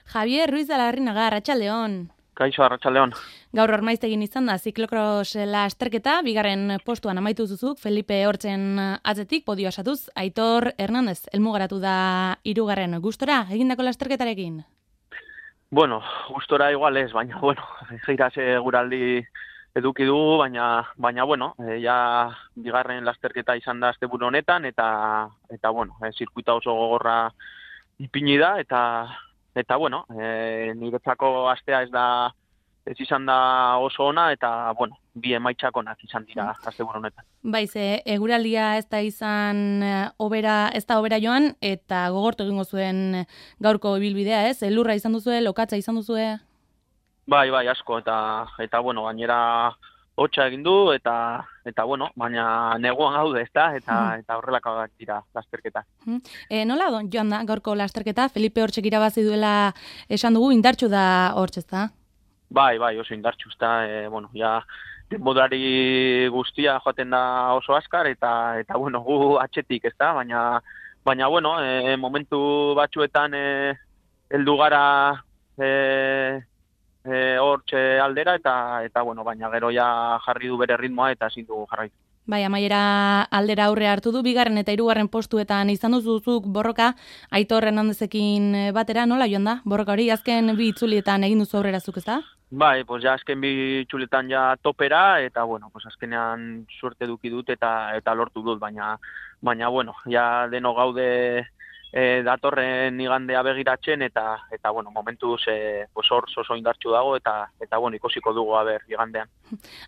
Javier Ruiz de la Larrinaga, Arratsaldeon. Kaixo, Arratsaldeon. Gaur Ormaiztegin izan da ziklokros lasterketa, bigarren postuan amaitu zuzuk, Felipe Hortzen atzetik, podio asatuz, Aitor Hernandez, helmugaratu da 3. Gustora, egindako lasterketarekin? Bueno, gustora igual ez, baina, gira seguraldi eduki dugu, baina bueno, ja bigarren lasterketa izan da asteburu honetan, eta zirkuita oso gogorra ipini da, eta bueno, niretzako astea ez izan da oso ona, eta bi emaitzak onak izan dira asteburu honetan. Baiz, eguraldia ez da izan ez da obera joan, eta gogortu egingo zuen gaurko ibilbidea, ez? Elurra izan duzue, lokatza izan duzue? Bai, asko, eta gainera hotza egin du, eta baina neguan gaude, ezta? Eta horrelako dira lasterketa. Nola joan da gaurko lasterketa? Felipe Hortzek irabazi duela esan dugu, indartsu da Hortz, ezta? Bai, oso indartsu, ezta? Ja denborari guztia joaten da oso azkar, eta gu atzetik, ezta? Baina momentu batzuetan heldu gara Hortze aldera, eta baina gero ja jarri du bere ritmoa eta ezin dugu jarraitu. Bai, amaiera aldera aurre hartu du, 2. eta 3. postuetan izan duzuzuk borroka, Aitor Hernandezekin batera, nola joan da? Borroka hori, azken 2 itzulietan egin duzu aurrera zuk, ezta? Bai, ja azken 2 itzulietan ja topera, eta azkenean suerte eduki dut eta lortu dut, baina ja deno gaude datorren igandea begiratzen, eta momentuz hor oso indartsu dago, eta ikusiko dugu igandean.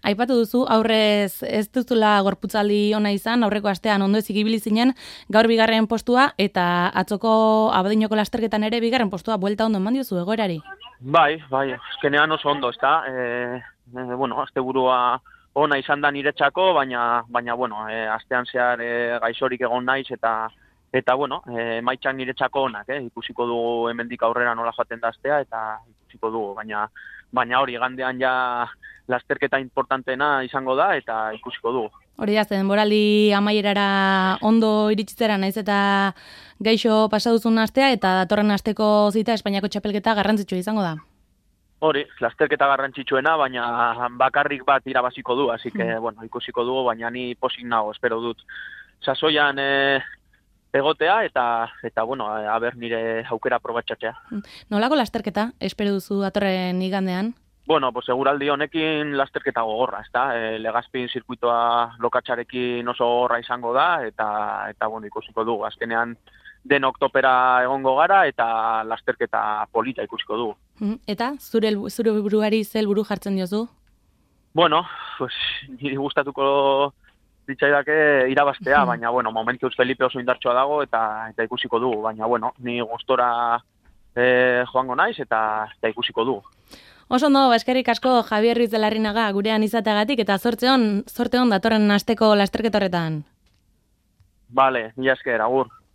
Aipatu duzu, aurrez ez duzula gorputzaldi ona izan, aurreko astean ondo ezik ibili zinen, gaur 2. postua, eta atzoko Abadinoko lasterketan ere 2. postua, buelta ondo eman diozu egoerari? Bai, azkenean oso ondo, ezta? Asteburua ona izan da niretzako, baina astean zehar gaixorik egon naiz, eta emaitzak niretzako onak, ikusiko dugu hemendik aurrera nola joaten da astea, eta ikusiko dugu, baina hori gandean ja lasterketa importantena izango da, eta ikusiko dugu. Hori da, denboraldi amaierara ondo iritsitzera naiz eta gaixo pasaduzun astea, eta datorren asteko zita Espainiako txapelketa garrantzitsua izango da. Hori, lasterketa garrantzitsuena, baina bakarrik bat irabaziko du, así que, ikusiko dugu, baina ni posik nago, espero dut. Sasoian egotea, eta aber nire aukera probatxatzea. Nolako lasterketa, espero duzu datorren igandean? Seguraldi honekin lasterketa gogorra, ezta? Legazpin zirkuitoa lokatxarekin oso gogorra izango da, eta ikusiko dugu. Azkenean denok topera egongo gara, eta lasterketa polita ikusiko dugu. Eta, zure buruari zel buru jartzen diozu? Niri gustatuko ditzaidake irabaztea, baina, momentuz Felipe oso indartsua dago, eta ikusiko dugu, baina, ni gustora joango naiz, eta ikusiko dugu. Oso ondo, eskerrik asko Javier Ruiz de la Larrinaga gurean izateagatik, eta zorte on datorren asteko lasterketa horretan. Bale, mila esker, agur.